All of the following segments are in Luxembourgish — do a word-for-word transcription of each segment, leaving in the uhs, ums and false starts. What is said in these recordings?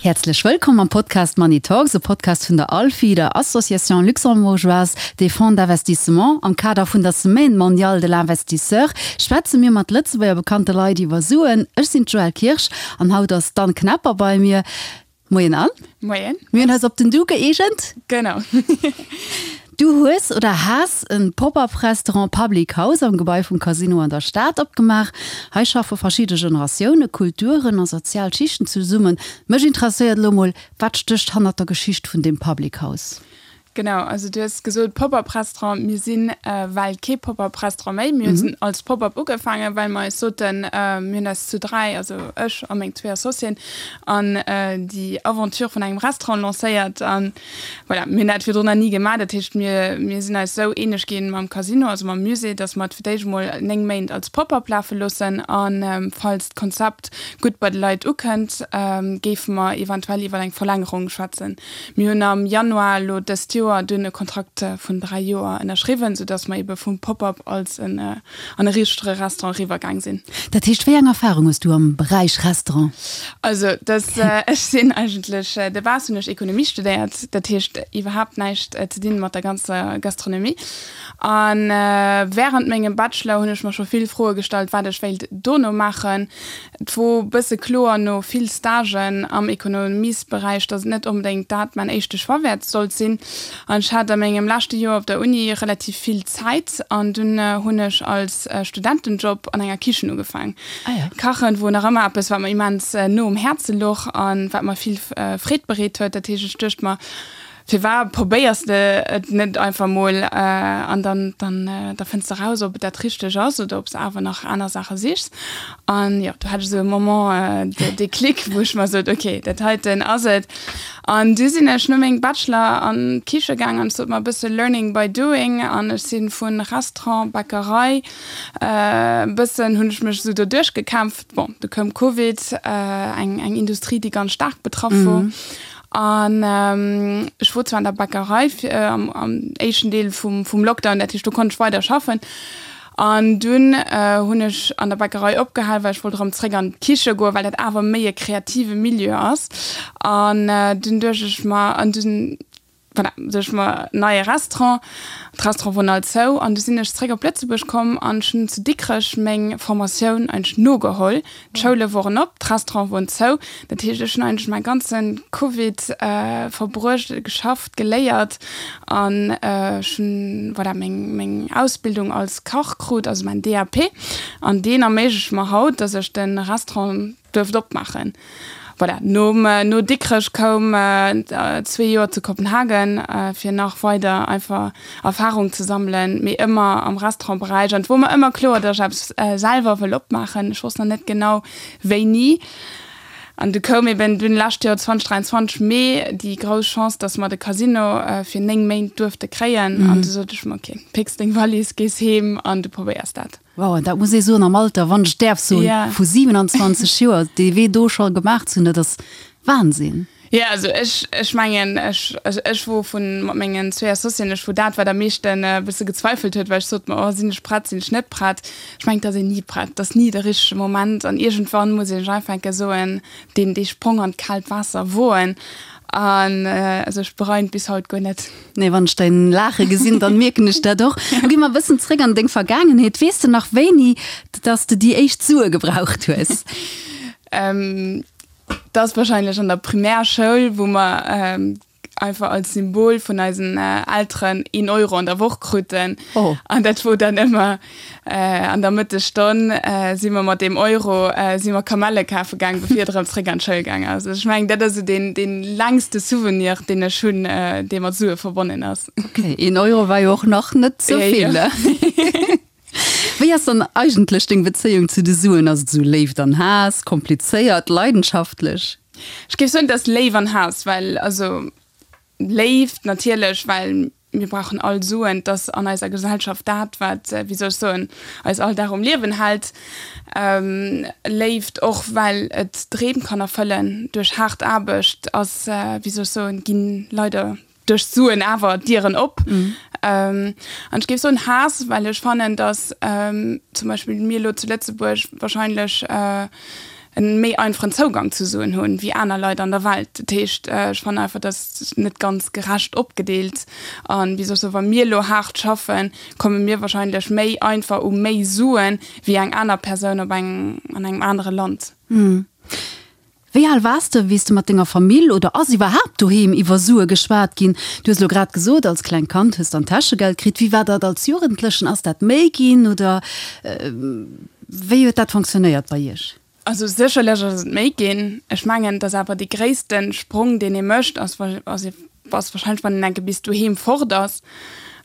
Häerzlech wëllkomm am Podcast Money Talks, e Podcast vun der ALFI, der Association Luxembourgeoise des Fonds d'Investissement. Am Kader vun der Semaine mondiale de l'investisseur schwätze mir mat Lëtzebuerger bekannte Leit iwwer Suen. Ech sinn d'Joëlle Kirsch an haut ass d'Anne Knepper bei mir. Moien Anne. Moien. Mir hunn eis op den Du gëeegent. Genau. Du hues oder has e Pop-up-Restaurant Public House am Gebai vum Casino an der Stad opgemaach. Hei schaffe verschidde Generatiounen, Kulturen a sozial Schichten zesummen. Mech interesséiert elo mol, wat stécht hannert der Geschicht vun deem Public House? Genau, also du hues gesot Pop-up-Restaurant. Mir sinn well kee Pop-up-Restaurant méi. Mir hunn als Pop-up ugefaangen, well mer eis soten, mir hunn eis zu dräi, also ech a meng zwee Associéen, an déi Aventure vun engem Restaurant lancéiert. An voilà, mir hunn dat virdrun nach ni gemaach. Dat heescht, mir, mir sinn eis esou eeneg ginn mam Casino, also mam Musée, dass mer et fir d'éischt emol néng Méint als Pop-up lafe loossen. A falls d'Konzept gutt bei de Leit ukënnt, géife mer eventuell iwwer eng Verlängerung schwätzen. Mir hunn am Januar elo dëst Joer dunn e Kontrakt vun dräi Joer ënnerschriwwen, soudass mer ebe vum Pop-up als en an e richtege Restaurant eriwwergaang sinn. Dat heescht, wéi eng Erfarung hues du am Beräich Restaurant? Also dass ech sinn eigentlech de base hunn ech Ekonomie studéiert, dat heescht iwwerhaapt näischt ze dinn mat der ganzer Gastronomie. A wärend mengem Bachelor hunn ech mer scho vill Froe gestallt, wat ech wéilt dono maachen. Et wor bësse kloer no vill Stagen am Ekonomiesberäich, dass et net onbedéngt dat mäin éischte Choix wäert sollt sinn. An ech hat a mengem leschte Joer op der Uni relativ vill Zäit an dunn hunn ech als Studentenjob an enger Kichen ugefaang. Kachen wor nach ëmmer eppes, wat mer immens no um Häerze louch an wat mer vill Freed bereet huet. Dat heescht, ech duecht mer, Firwat probéiers de et net einfach mol an dann dann da fënns de raus, ob et dat Richteg ass oder ob s de awer nach aner Saache sichs. An jo, do hat ech esou e Moment de Déclic, wou ech mer sot, ok, dat heiten ass et. An du sinn ech no mengem Bachelor an d'Kiche gaang an ech sot mer e bësse learning by doing an ech si vu Restaurant, Bäckerei e bëssen hunn ech mech esou doduerch gekämpft. Bon, du koum Covid, eng eng Industrie, déi ganz staark betraff wor. An ech wor zwar an der Bäckerei am am éischten Deel vum vum Lockdown, dat heescht do konnt ech weider schaffen. An dunn hunn ech an der Bäckerei opgehal, well ech wollt erëm zréck an d'Kiche goen, well dat awer méi e kreative Milieu ass. An dunn duecht ech mer, an dunn, voilà, duecht ech mer, neie Restaurant. D'Restaurante woren all zou. An du sinn ech zréck op Lëtzebuerg komm an ech hunn zu Dikrech meng Formatioun eigentlech nogeholl. D'Schoule woren op, d'Restaurante woren zou. Dat heescht, ech hunn eigentlech mäi ganze Covid verbruecht, geschafft, geléiert an ech hunn, voilà, meng, meng Ausbildung als Kach krut, also mäin D A P. An deen erméiglecht mer haut, dass ech de Restaurant duerft opmaachen. Voilà, nom, no Dikrech koum zwee Joer zu Kopenhagen, fir nach weider einfach Erfahrung ze sammelen, mee ëmmer am Restaurantberäich. An et wor mer ëmmer kloer, datt ech eppes selwer wëll opmaachen. Ech wosst nach net genau wéini. An du koum eben dunn lescht Joer zweitausenddräiandzwanzeg Mee déi grouss Chance, datt mer de Casino fir néng Méint duerfte kréien. An du sot ech mer, ok, pécks deng Wallis, gees heem an du probéiers dat. Wow, an dat muss ee soen, am Alter, wann ech däerf soen, vu siewenundzwanzeg Joer, dee Wee do scho gemaach ze hunn, dat ass Wahnsinn. Jo, also ech, ech mengen, ech, also ech wor vun, mat mengen zwee Associéen, ech wor dat, wat am meeschten e bësse gezweifelt huet, well ech sot mer, oh, sinn ech prett, sinn ech net prett? Ech mengen, et ass een ni prett, et ass ni de richtege Moment an iergendwann muss ee sech einfach eng Kéier soen, deen, dee Sprong an d'kaalt Waasser woen. An also ech bereien et bis haut guer net. Nee, wann ech däin Laache gesinn, dann mierken ech dat och. Lo gi mer e bëssen zréck an deng Vergaangenheet. Weess de nach wéini dass de déi éischt Sue gebraucht hues? Dat ass wahrscheinlech an der Primärschoul, wou mer einfach als Symbol vun eisen Elteren een Euro an der Woch kruten. An dat wor dann ëmmer an der Mëttesstonn si mer mat deem Euro si mer Kamelle kafe gaang, bevir et erëm zréck an d'Schoul gaang ass. Ech mengen, dat ass esou deen, deen längste Souvenir, deen ech hunn, dee mat Sue verbonnen ass. Ok, een Euro war jo och nach net sou vill. Wéi ass dann eigentlech deng Bezéiung zu de Suen? Ass et esou Léift an Haass, komplizéiert, leidenschaftlech? Ech géif soen, et ass Léif an Haass, well, also Léift natierlech, well mir brauchen all Suen, et ass an eiser Gesellschaft dat, wat, wéi soll ech soen, eis all Dag um Liewen hält. Léift och, well et Dreem kann erfëllen duerch haart Aarbecht ass, wéi soll ech soen, ginn leider duerch d'Suen awer Dieren op. An ech géif soen Haass, well ech fannen, datt zum Beispill mir elo zu Lëtzebuerg wahrscheinlech e méi einfachen Zougang zu Suen hunn wéi aner Leit an der Welt. Dat heescht, ech fannen einfach, dat ass net ganz gerecht opgedeelt. An, wéi soll ech soen, wa mir elo haart schaffen, komme mir wahrscheinlech méi einfach u méi Suen wéi eng aner Persoun op engem, an engem anere Land. Wéi al waars de, wéi s de mat denger Famill, oder ass iwwerhaapt doheem iwwer Sue geschwat ginn? Du hues elo grad gesot, als klengt Kand hues dann Täschegeld kritt. Wéi war dat als Jugendlechen? Ass dat méi ginn oder wéi huet dat fonctionnéiert bei iech? Also sécherlech ass et méi ginn. Ech mengen, dass awer dee gréisste Sprong, deen ee mécht, ass, ass warscheinlech, wann een enke bis doheem fort ass.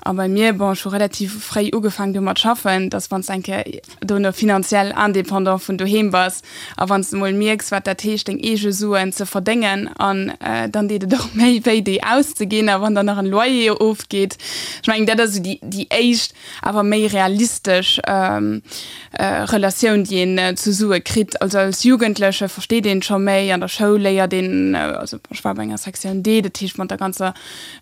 A bei mir, bon, ech hu relativ fréi ugefaangen domat schaffen, dass wann s de eng Kéier dono finanziell indépendant vun doheem bass a wann s de mol mierks, wat dat heescht, deng eege Suen ze verdéngen an dann deet et och méi wéi, déi auszeginn a wann dann nach en Loyer ofgeet. Ech mengen, dat ass esou déi, déi éischt awer méi realistesch Relatioun, déi een zu Sue kritt. Also als Jugendleche versteet een et scho méi, an der Schoul léiert een, also ech war bei enger Sektioun D, dat heescht mat der ganzer,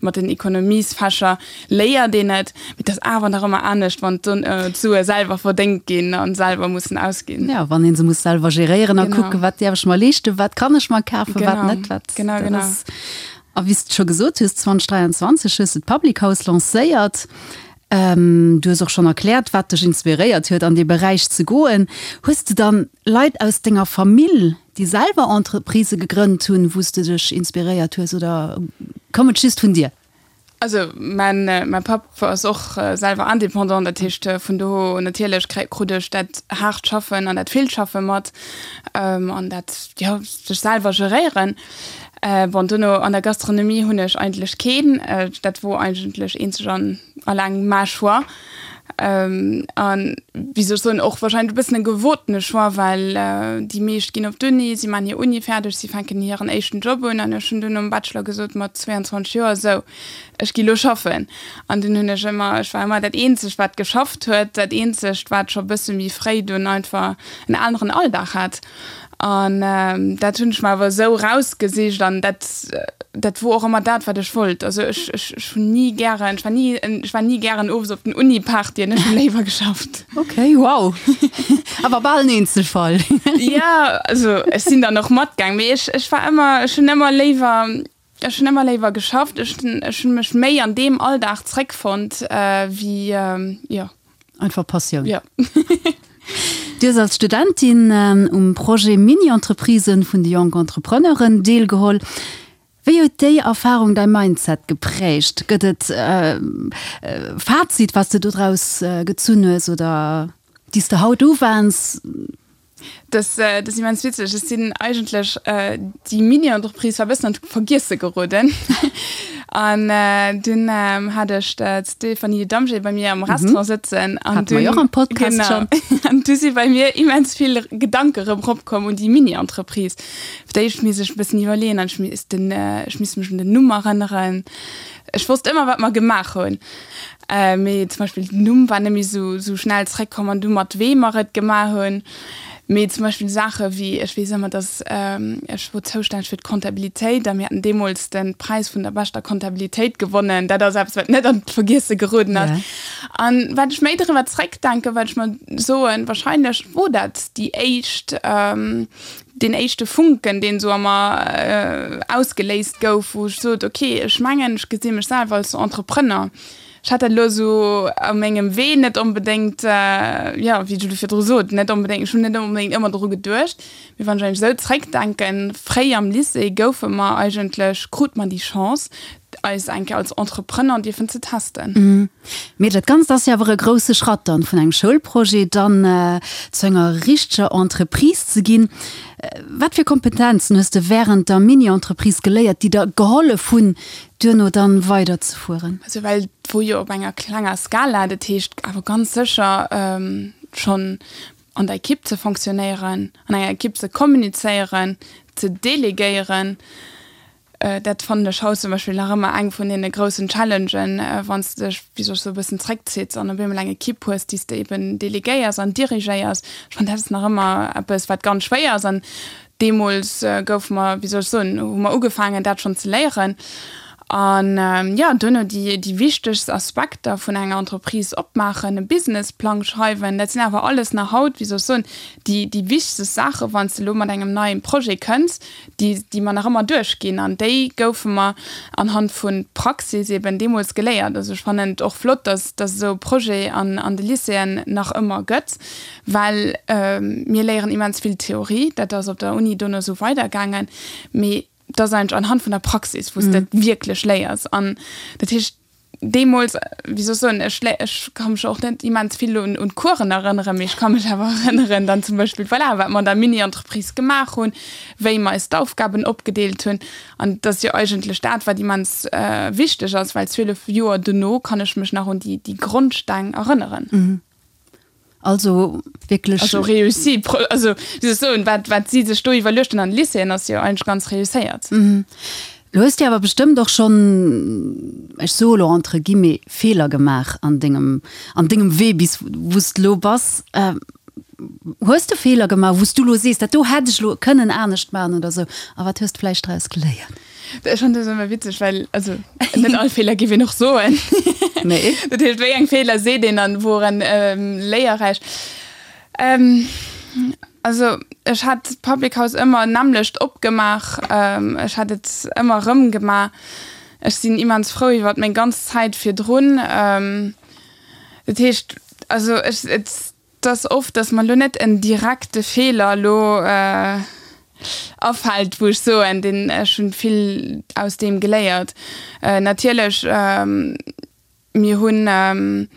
mat den Ekonomiesfächer léiert een et, mee et ass awer nach ëmmer anescht, wann d'Sue selwer verdéngt ginn a selwer mussen ausginn. Jo, wann ee se muss selwer geréieren a kucken, wat däerf ech mer leeschten, wat kann ech mer kafen, wat net, wat, dat ass. A wéi s de scho gesot hues, zweitausenddräianzwanzeg hues de d'Public House lancéiert. Du hues och schonn erkläert, wat dech inspiréiert huet, an dee Beräich ze goen. Hues de dann Leit aus denger Famill, déi selwer Entreprisë gegrënnt hunn, wou s de dech inspiréiert hues, oder koum et just vun dir? Also mäin mäi Papp ass och selwer Indépendant, dat heescht vun do natierlech krut ech dat haart Schaffen an dat villt Schaffe mat an dat, jo, sech selwer geréieren. Bon, duerno an der Gastronomie hunn ech eigentlech keen, dat wor eigentlech eenzeg an alleng mäi Choix. An, wéi soll ech soen, och wahrscheinlech e bëssen e gewotene Choix, well déi meescht ginn op d'Uni, si maachen hir Uni fäerdeg, si fänken hiren éischten Job un an ech hunn dunn nom Bachelor gesot mat zweeanzwanzeg Joer, sou, ech gi lo schaffen. An dunn hunn ech ëmmer, ech war ëmmer dat eenzegt wat geschafft huet, dat eenzegt wat scho bësse méi fréi dunn einfach en aneren Alldag hat. An dat hunn ech mer awer esou rausgesicht an dat, dat wor och ëmmer dat, wat ech wollt. Also ech, ech, ech hunn ni gären, ech war ni, ech war ni gären owes op den Uni-Partyen, ech hunn léiwer geschafft. Ok, wow. Awer bal en Eenzelfall. Jo, also ech sinn dann och matgaang, mee ech, ech war ëmmer, ech hunn ëmmer léiwer, ech hunn ëmmer léiwer geschafft. Ech, ech hunn mech méi an deem Alldag zréckfonnt wéi, jo. Einfach Passioun. Jo. Du hues als Studentin um Projet Mini-Entreprisen vun de Jonk Entrepreneuren deelgeholl. Wéi huet déi Erfarung däi Mindset geprägt? Gëtt et e Fazit, wat s de dodraus gezunn hues oder déi s de haut uwends? Dat ass immens witzeg. Ech sinn eigentlech, déi Mini-Entreprise war e bëssen an d'Vergiesse geroden. An dunn hat ech d'Stéphanie Damgé bei mir am Restaurant sëtzen. An Hate mer jo och am Podcast schonn. Genau. An du si bei mir immens vill Gedanke rëm eropkomm un déi Mini-Entreprise. Fir d'éischt misst ech e bëssen iwwerleeën an ech misst den, ech misst mech un den Numm erënneren. Ech wosst ëmmer, wat mer gemaach hunn. Mee zum Beispill den Numm war net méi esou, esou schnell zréckkomm an du mat weem mer et gemaach hunn. Mee zum Beispill Saache wéi, ech weess ëmmer, dass ech wor zoustänneg fir d'Comptabilitéit a mir haten deemools de Präis vun der beschter Comptabilitéit gewonnen. Dat ass eppes, wat net an d'Vergiesse geroden ass. An wat ech méi driwwer zréckdenken, wat ech mer soen, wahrscheinlech wor dat déi éischt, deen éischte Funken, deen esou a mer ausgeléist gouf, wou ech sot, okay, ech mengen, ech gesi mech selwer als Entrepreneur. Ech hat dat elo esou a mengem Wee net onbedéngt, jo, wéi ech elo virdru sot, net onbedéngt, ech hunn net onbedéngt ëmmer dru geduecht. Mee wann ech eigentlech esou zréckdenken, fréi am Lycée goufe mer eigentlech, krute mer déi Chance, eis eng Kéier als Entrepreneur dierfen ze testen. Mee dat Ganzt ass jo awer e grousse Schratt dann, vun engem Schoulprojet dann zu enger richteger Entreprise ze ginn. Wat fir Kompetenzen hues de wärend der Mini-Entreprise geléiert, déi der gehollef hunn, duerno dann weider ze fueren? Also well et wor jo op enger klenger Skala, dat heescht awer ganz sécher schonn an der Ekipp ze fonctionnéieren, an enger Ekipp ze kommunizéieren, ze delegéieren. Dat fannen ech haut zum Beispill nach ëmmer eng vun deene groussen Challengen, wann s de dech, wéi soll ech soen, e bëssen zréckzitts an op eemol eng Ekipp hues, déi s de eben delegéiers an dirigéiers. Ech fannen, dat ass nach ëmmer eppes, wat ganz schwéier ass. An deemools goufe mer, wéi soll ech soen, hu mer ugefaangen, dat schonn ze léieren. An jo, duerno déi, déi wichtegst Aspekter vun enger Entreprise opmaachen, e Businessplang schreiwen, dat sinn awer alles nach haut, wéi soll ech soen, déi, déi wichtegst Saache wann s de elo mat engem neie Projet kënns, déi, déi mer nach ëmmer duerchginn. An déi goufe mer anhand vu Praxis eben deemools geléiert. Also ech fannen et och flott, dass, dass esou e Projet an, an de Lycéeën nach ëmmer gëtt, well mir léieren immens vill Theorie, dat ass op der Uni dono esou weidergaangen, mee dat ass eigentlech anhand vun der Praxis, wou s de et wierklech léiers. An dat heescht, deemools, wéi soll ech soen, ech ech ka mech och net immens vill un un d'Coursen erënneren, mee ech ka mech awer erënneren dann zum Beispill, voilà, wat mer an der Mini-Entreprise gemaach hunn, wéi mer eis d'Aufgaben opgedeelt hunn. An dat ass jo eigentlech dat, wat immens wichteg ass, well zwielef Joer dono kann ech mech nach un déi déi Grondsteng erënneren. Also wierklech. Also réussi, also wéi soll ech soen, wat wat si sech do iwwerluecht hunn an de Lycéeën, ass jo eigentlech ganz réusséiert. Lo hues de awer bestëmmt och schonn, ech soe lo entre guillemets, Feeler gemaach an dengem an dengem Wee bis wou s de lo bass. Hues de Feeler gemaach, wou s du lo sees, dat do hätt ech lo kënnen anescht maachen oder sou? A wat hues de vläicht draus geléiert? Ech fannen dat ëmmer witzeg, well also net all Feeler géif een och soen. Nee. Dat heescht, wéi eng Feeler seet een an woren léierräich? Also ech hat d'Public House ëmmer nämmlecht opgemaach, ech hat et ëmmer erëm gemaach. Ech sinn immens frou iwwer meng ganz Zäit virdrun. Dat heescht, also ech, et ass oft, datt mer elo net en direkte Feeler elo afält, wou ech soen, deen, ech hunn vill aus deem geléiert. Natierlech, mir hunn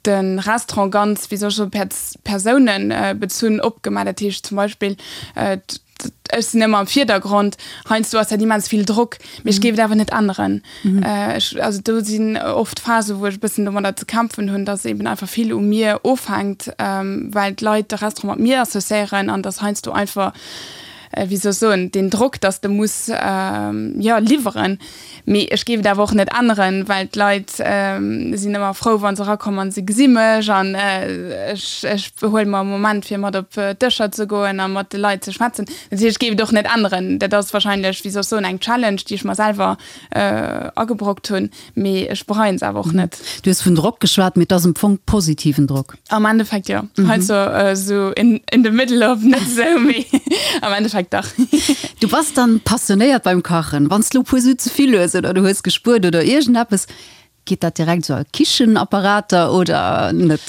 de Restaurant ganz, wéi soll ech soen, persounebezunn opgemaach. Dat heescht zum Beispill, ech sinn ëmmer am Virdergrond, heiansdo ass dat immens vill Drock, mee ech géif et awer net änneren. Ech, also do sinn oft Phasen, wou ech e bëssen domadder ze kämpfen hunn, dass eben einfach vill u mir ofhänkt, well d'Leit de Restaurant mat mir associéieren an dass heiansdo einfach, wéi soll ech soen, deen Drock, dass de muss, jo, liwweren. Mee ech géif et awer och net änneren, well d'Leit sinn ëmmer frou, wa se erakommen an se gesi mech an ech, ech huele mer e Moment, fir mat op d'Dëscher ze goen a mat de Leit ze schwätzen. Dat heescht, ech géif et och net änneren. Dat ass wahrscheinlech, wéi soll ech soen, eng Challenge, déi ech mer selwer agebrockt hunn, mee ech bereien se awer och net. Du hues vun Drock geschwat, mee et ass am Fong positiven Drock. Am Endeffekt jo. Heiansdo esou in, in the middle of net esou, mee am Endeffekt dach. Du bass dann passionéiert beim Kachen. Wann s de lo e puer Su ze vill hues oder du hues gespuert oder iergendeppes, geet dat direkt esou a Kichenapparater oder net?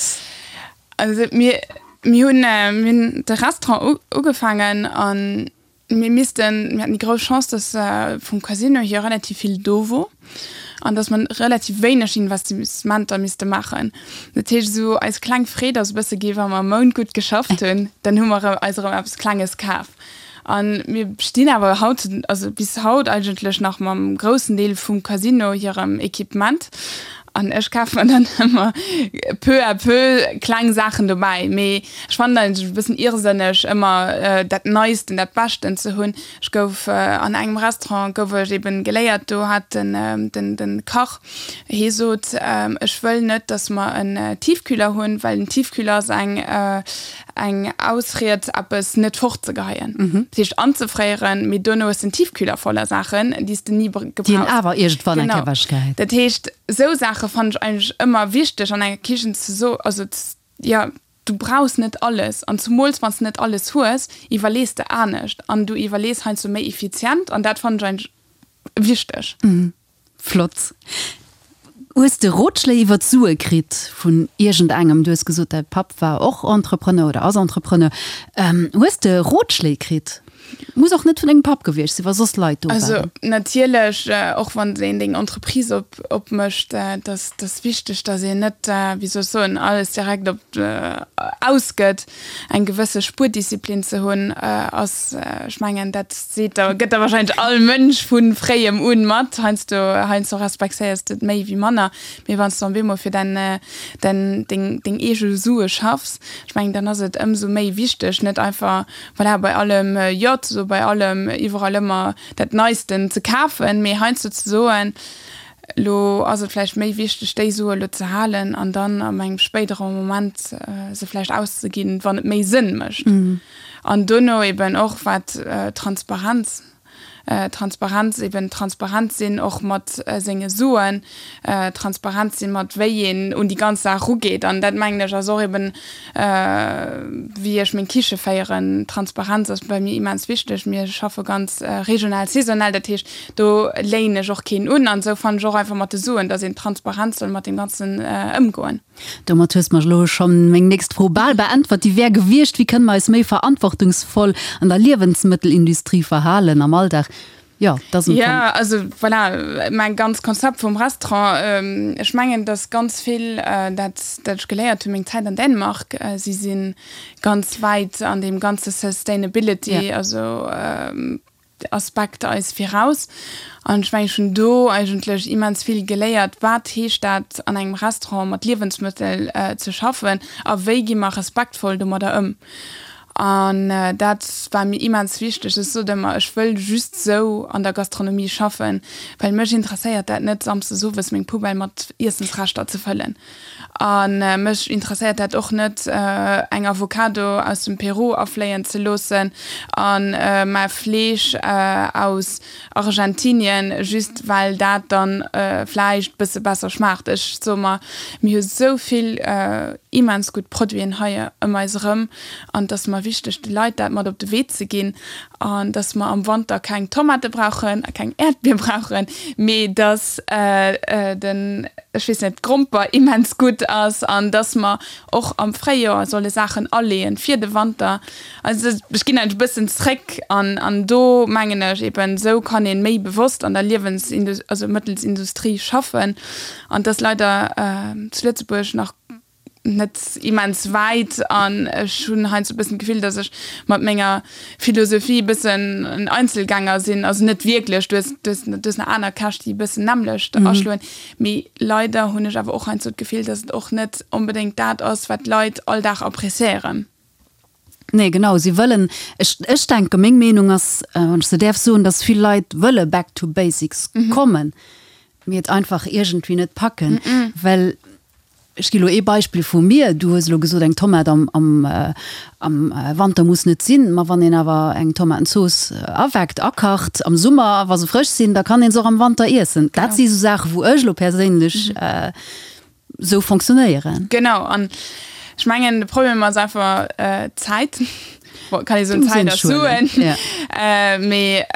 Also mir, mir hunn, mir hunn de Restaurant ugefaangen an mir missten, mir haten déi grouss Chance, dass vum Casino hier relativ vill do wor an dass mer relativ wéineg Investissementer misste maachen. Dat heescht, esou eis kleng Freed ass e bësse gi wa mer e Mount gutt geschafft hunn, dann hu mer eis erëm eppes Klenges kaf. A mir stinn awer haut, also bis haut eigentlech nach mam groussen Deel vum Casino hirem Equipement. An ech kafe mer dann ëmmer peu à peu kleng Saachen dobäi. Mee ech fannen eigentlech e bëssen irrsënneg, ëmmer dat Neisten, dat Beschten ze hunn. Ech gouf an engem Restaurant gouf ech eben geléiert, do hat den, den, den Kach, hee sot, ech wëll net, datt mer en Tiefkühler hunn, well en Tiefkühler ass eng, eng Ausried eppes net fortzegeheien, dat heescht anzefréieren, mee dono hues de en Tiefkühler voller Saachen, déi s de ni gebrauchs. Déi een awer iergendwann eng Kéier ewechgehäit. Genau. Dat heescht, esou Saache fannen ech eigentlech ëmmer wichteg an enger Kichen ze so, also jo, du brauchs net alles an zumools wann s de net alles hues, iwwerlees de anescht an du iwwerlees heiansdo méi effizient an dat fannen ech eigentlech wichteg. Flott. Hues de Rotschléi iwwer d'Sue kritt vun iergendengem? Du hues gesot, däi Papp war och Entrepreneur oder ass Entrepreneur. Hues de Rotschléi kritt? Muss och net vun dengem Papp gewiescht sinn, wa soss Leit do waren. Also natierlech, och wann een deng Entreprise op opmécht, et ass et ass wichteg, datt een net, wéi soll ech soen, alles direkt op ausgëtt. Eng gewësse Spuerdisziplin ze hunn ass, ech mengen, dat seet der, gëtt der wahrscheinlech all Mënsch vu fréiem un mat. Heiansdo, heiansdo respektéiers de et méi wéi manner, mee wann s de op eemol fir däin, däin, deng, deng eege Sue schaffs, ech mengen, dann ass et ëmsou méi wichteg, net einfach, voilà, bei allem Jo ze soen, bei allem iwwerall ëmmer dat Neisten ze kafen, mee heiansdo ze soen, Lo ass et vläicht méi wichteg, déi Sue lo ze halen an dann an engem spéidere Moment se vläicht auszeginn, wann et méi Sënn mécht. An dono eben och wat Transparenz Transparenz, eben transparent sinn och mat senge Suen, transparent sinn mat wéi een un déi ganz Saach erugeet. An dat mengen ech ass och eben wéi ech meng Kiche féieren. Transparenz ass bei mir immens wichteg. Mir schaffe ganz regional, saisonal, dat heescht do léien ech och keen un. An esou fannen ech och einfach mat de Suen, datt een transparent soll mat deem Ganzen ëmgoen. Domat hues mer elo schonn meng nächst Fro bal beäntwert, déi wär gewiescht, Wéi kënne mer eis méi verantwortungsvoll an der Liewensmëttelindustrie verhalen am Alldag? Jo, dat ass Jo, also voilà, mäin ganz Konzept vum Restaurant, ech mengen, dass ganz vill dat, dat ech geléiert hunn, meng Zäit an Dänemark, si si ganz wäit an deem ganze Sustainability, also Aspekt eis viraus. An ech mengen, ech hunn do eigentlech immens vill geléiert, wat heescht dat an engem Restaurant mat Liewensmëttel ze schaffen a wéi gi mer respektvoll domadder ëm. An dat war mir immens wichteg. Ech sot ëmmer, ech wëll just sou an der Gastronomie schaffen, well mech interesséiert dat net, samsdes owes meng Poubelle mat Iessensreschter ze fëllen. A mech interesséiert dat och net, eng Avocado aus dem Peru afléien ze loossen a mä Fleesch aus Argentinien, just well dat dann vläicht bësse besser schmaacht. Ech soe mer, mir hu sou vill immens gutt Produiten hei ëm eis erëm an et ass mer wichteg, de Leit dat mat op de Wee ze ginn an dass mer am Wanter keng Tomate brauchen a keng Äerdbier brauchen, mee dass den, ech weess net, d'Gromper immens gutt ass an dass mer och am Fréijoer solle Saachen aleeën fir de Wanter. Also ech ginn eigentlech e bëssen zréck an an do mengen ech eben, esou kann ee méi bewosst an der Liewens-, also Mëttelsindustrie schaffen an et ass leider zu Lëtzebuerg nach net immens wäit an ech hunn heiansdo e bëssen d'Gefill, datt ech mat menger Philosophie e bëssen en Einzelgänger sinn, also net wierklech, du hues, du hues, du hues nach aner Käch, déi e bëssen d'nämmlecht aschloen, mee leider hunn ech awer och heiansdo d'Gefill, datt et och net onbedéngt dat ass, wat d'Leit all Dag appréciéieren. Nee, genau, si wëllen, ech, ech denken, meng Meenung ass, wann ech se däerf soen, datt vill Leit wëlle back to basics kommen, mee et einfach iergendwéi net packen, well Ech gi lo ee Beispill vu mir, Du hues elo gesot, eng Tomat am, am, am Wanter muss net sinn. Ma wann een awer eng Tomatenzooss aweckt, akacht am Summer, wa se frësch sinn, da kann een se och am Wanter iessen. Dat si sou Saachen, wou ech elo perséinlech sou fonctionnéieren. Genau, an ech mengen, de Problem ass einfach d'Zäit. Bon, kann ee soen, Zäit ass Suen. Mee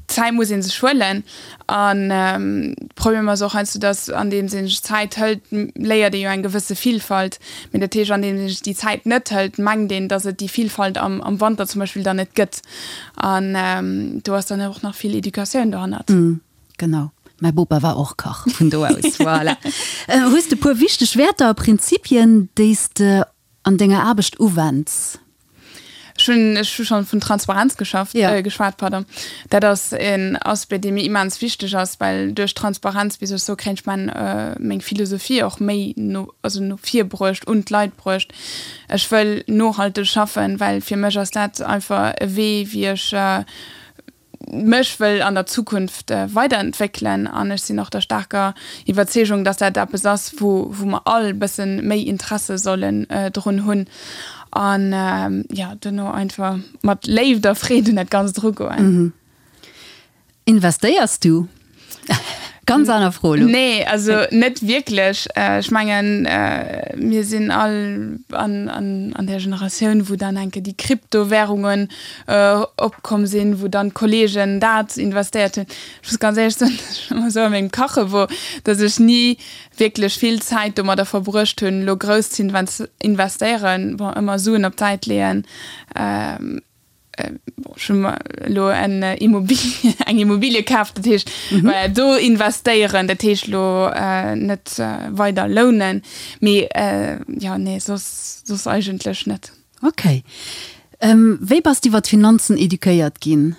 Zäit muss ee sech huelen. An de Problem ass och heiansdo, datt andeems ee sech Zäit hëlt, léiert ee jo eng gewësse Vilfalt. Mee dat heescht, andeems ee sech déi Zäit net hëlt, mengt een, datt et déi Vilfalt am am Wanter zum Beispill dann net gëtt. An do ass dann och nach vill Educatioun dohannert. Genau. Mäi Bopa war och Kach, vun do aus, voilà. Hues de e puer wichteg Wäerter a Prinzipien, déi s de an denger Aarbecht uwends? Ech hunn, ech hu schonn vun Transparenz geschafft, ja. geschwat, pardon. Dat ass en Aspect, dee mir immens wichteg ass, well duerch Transparenz, wéi soll ech soen, kréien ech mein, meng Philosophie och méi no, also no vir bruecht, un d'Leit bruecht. Ech wëll nohalteg schaffen, well fir mech ass dat einfach e Wee, wéi ech, mech wëll an der Zukunft weiderentwéckelen an ech sinn och der staarker Iwwerzeegung, dass dat eppes ass, wou wou mer all e bësse méi Interesse sollen drun hunn an jo duerno einfach mat Léift a Freed un dat Ganzt erugoen. Investéiers du? Ganz aner Fro elo. Nee, also net wierklech. Ech mengen, mir sinn all an, an, an där Generatioun, wou dann enke déi Kryptowährungen opkomm sinn, wou dann d'Kollegen dat investéiert hunn. Ech muss ganz éierlech soen, dass ech ëmmer esou a mengem Kache wor, dass ech ni wierklech vill Zäit domadder verbruecht hunn, elo grouss ze investéieren. Bon, ëmmer Suen op d'Säit leeën. Ech hu mer elo en Immobilie, eng Immobilie kaf, dat heescht do investéieren, dat heescht elo net weider lounen, mee jo, nee, soss, soss eigentlech net. Ok. Wéi bass de iwwer d'Finanzen eduquéiert ginn?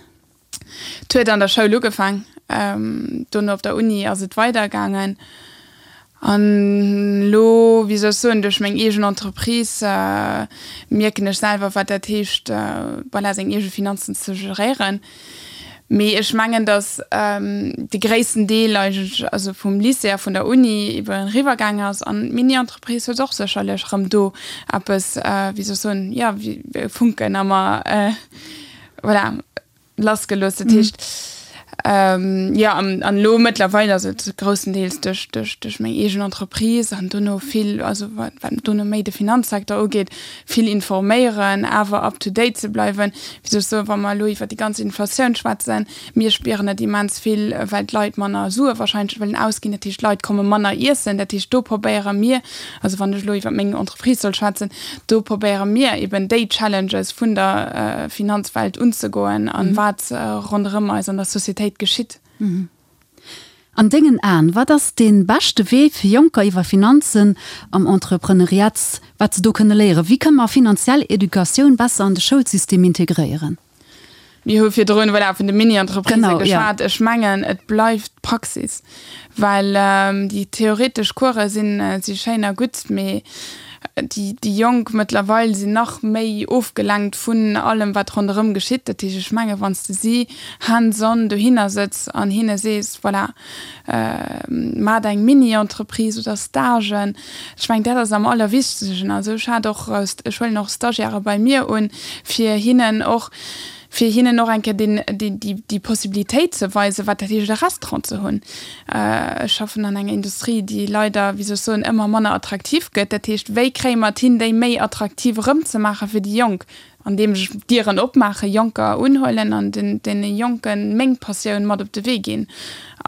Et huet an der Schoul ugefaang, dono op der Uni ass et weidergaangen. An elo, wéi soll ech soen, duerch meng eegen Entreprise mierken ech selwer, wat dat heescht, voilà, seng eege Finanzen ze geréieren. Mee ech mengen, datt de gréissten Deel eigentlech, also vum Lycée a vun der Uni iwwer eriwwer gaangen ass. An d'Mini-Entreprise huet och sécherlech erëm do eppes, wéi soll ech soen, jo, wéi e Funken a mer, voilà, lassgelooss. Dat heescht, jo, an elo mëttlerweil ass et groussendeels duerch, duerch, duerch meng eegen Entreprise an dono vill, also wat, wat dono méi de Finanzsecteur ugeet, vill informéieren, awer up to date ze bleiwen. Wéi soll ech soen, wa mer elo iwwer déi ganz Inflatioun schwätzen, mir spieren et immens vill, well d'Leit manner Sue wahrscheinlech wëllen ausginn. Dat heescht, d'Leit komme manner iessen. Dat heescht, do probéiere mir, also wann ech elo iwwer meng Entreprise soll schwätzen, do probéiere mir eben déi Challenges vun der Finanzwelt unzegoen an wat ronderëm eis an der Societéit geschitt. An dengen Aen, wat ass dee beschte Wee fir Jonker iwwer Finanzen am Entrepreneuriat, wat se do kënne léieren? Wéi kënne mer finanziell Educatioun besser an de Schoulsystem integréieren? Mir hu virdrun, voilà, vun de Mini-Entreprisë geschwat. Ech mengen, et bleift d'Praxis, well déi theoretesch Course sinn, si schéin a gutt, mee déi, déi Jonk mëttlerweil sinn nach méi ofgelenkt vun allem, wat ronderëm geschitt. Dat heescht, ech mengen, wann s de si hands-on dohinner sëtz an hinne sees, voilà, maacht eng Mini-Entreprise oder Stagen, ech mengen, dat ass am allerwichtegsten. Also ech hat och, ech huelen och Stagiairë bei mir un, fir hinnen och, fir hinnen och eng Kéier deen, déi, déi, déi Possibilitéit ze weisen, wat dat heescht, e Restaurant ze hunn. Ech schaffen an enger Industrie, déi leider, wéi soll ech soen, ëmmer manner attraktiv gëtt. Dat heescht, wéi kréie mer et hin, déi méi attraktiv erëmzemaache fir déi Jonk? Andeem ech Dieren opmaachen, Jonker unhuelen an den, deene Jonke meng Passioun mat op de Wee ginn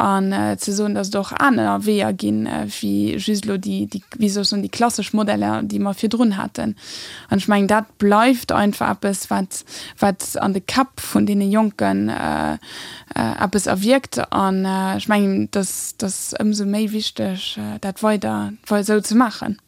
an ze soen, datt et och aner Weeër ginn, wéi just elo déi, déi, wéi soll ech soen, déi klassesch Modeller, déi mer virdrun haten. An ech mengen, dat bleift einfach eppes, wat, wat an de Käpp vun deene Jonken eppes erwierkt. An ech mengen, dass dass ëmsou méi wichteg, dat weider esou ze maachen.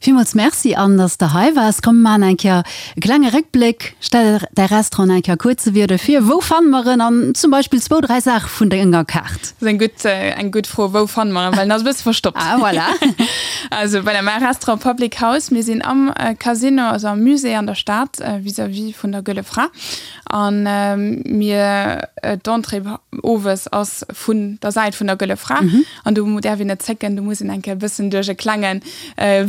Villmools Merci Anne, dass de hei waars. Komm mir maachen eng Kéier e klenge Réckbléck. Stell däi Restaurant eng Kéier kuerze Wierder vir. Wou fanne mer en an zum Beispill zwou, dräi Saache vun denger Kaart? Dat ass eng gutt, eng gutt Fro, wou fanne mer en, well en ass e bësse verstoppt. Ah voilà. Also voilà, mäi Restaurant Public House, mir sinn am Casino, also am Musée an der Stad, vis-à-vis vun der Gëlle Fra. An mir, d'Entrée owes ass vun der Säit vun der Gëlle Fra. An do däerf een net zécken, do muss een eng Kéier e bëssen duerch e klenge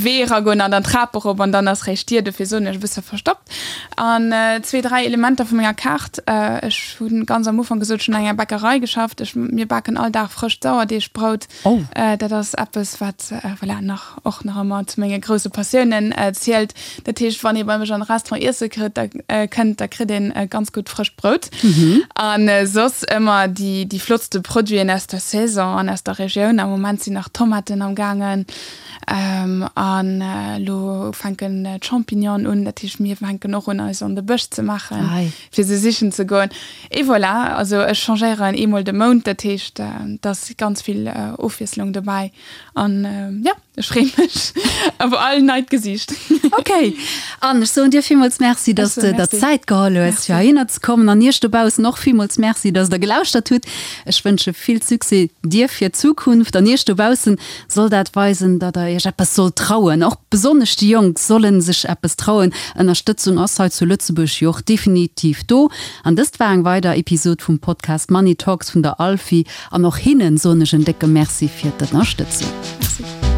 Wee eragoen an dann d'Trap erop an dann ass réischt d'Dier. Dofir soen ech e bësse verstoppt. An zwee, dräi Elementer vu menger Kaart, Ech hu ganz am Ufank gesot, ech hunn an enger Bäckerei geschafft. Ech, mir baken all Dag frëscht Sauerdeegbrout. Dat ass eppes, wat, voilà, nach, och nach ëmmer zu menge grousse Passiounen zielt. Dat heescht, wann ee bei mech an de Restaurant iesse kritt, da kënnt, da kritt een ganz gutt frëscht Brout. An soss ëmmer déi, déi flottste Produiten aus der Saison an aus der Regioun. Am Moment sinn nach Tomaten am gaangen an elo fänken d'Champignonen un. Dat heescht, mir fänken och un eis an de Bësch ze maachen, fir se sichen ze goen. Et voilà, also ech changéieren eemol de Mount, dat heescht, et ass ganz vill Ofwiesslung dobäi an jo. Ech freeë mech op all neit Gesiicht. Ok, an ech soen dir villmools Merci, dass de der Zäit geholl hues, fir heihinner ze kommen. An iech dobaussen och villmools Merci, dass der gelauschtert hutt. Ech wënsche vill Succès dir fir d'Zukunft. An iech dobaussen soll dat weisen, datt der iech eppes sollt trauen. Och besonnesch déi Jonk solle sech eppes trauen. Ënnerstëtzung ass hei zu Lëtzebuerg jo och definitiv do. An dëst war eng weider Episod vum Podcast Money Talks vun der Alfi. An och hinnen soen ech en décke Merci fir d'Ënnerstëtzung. Merci.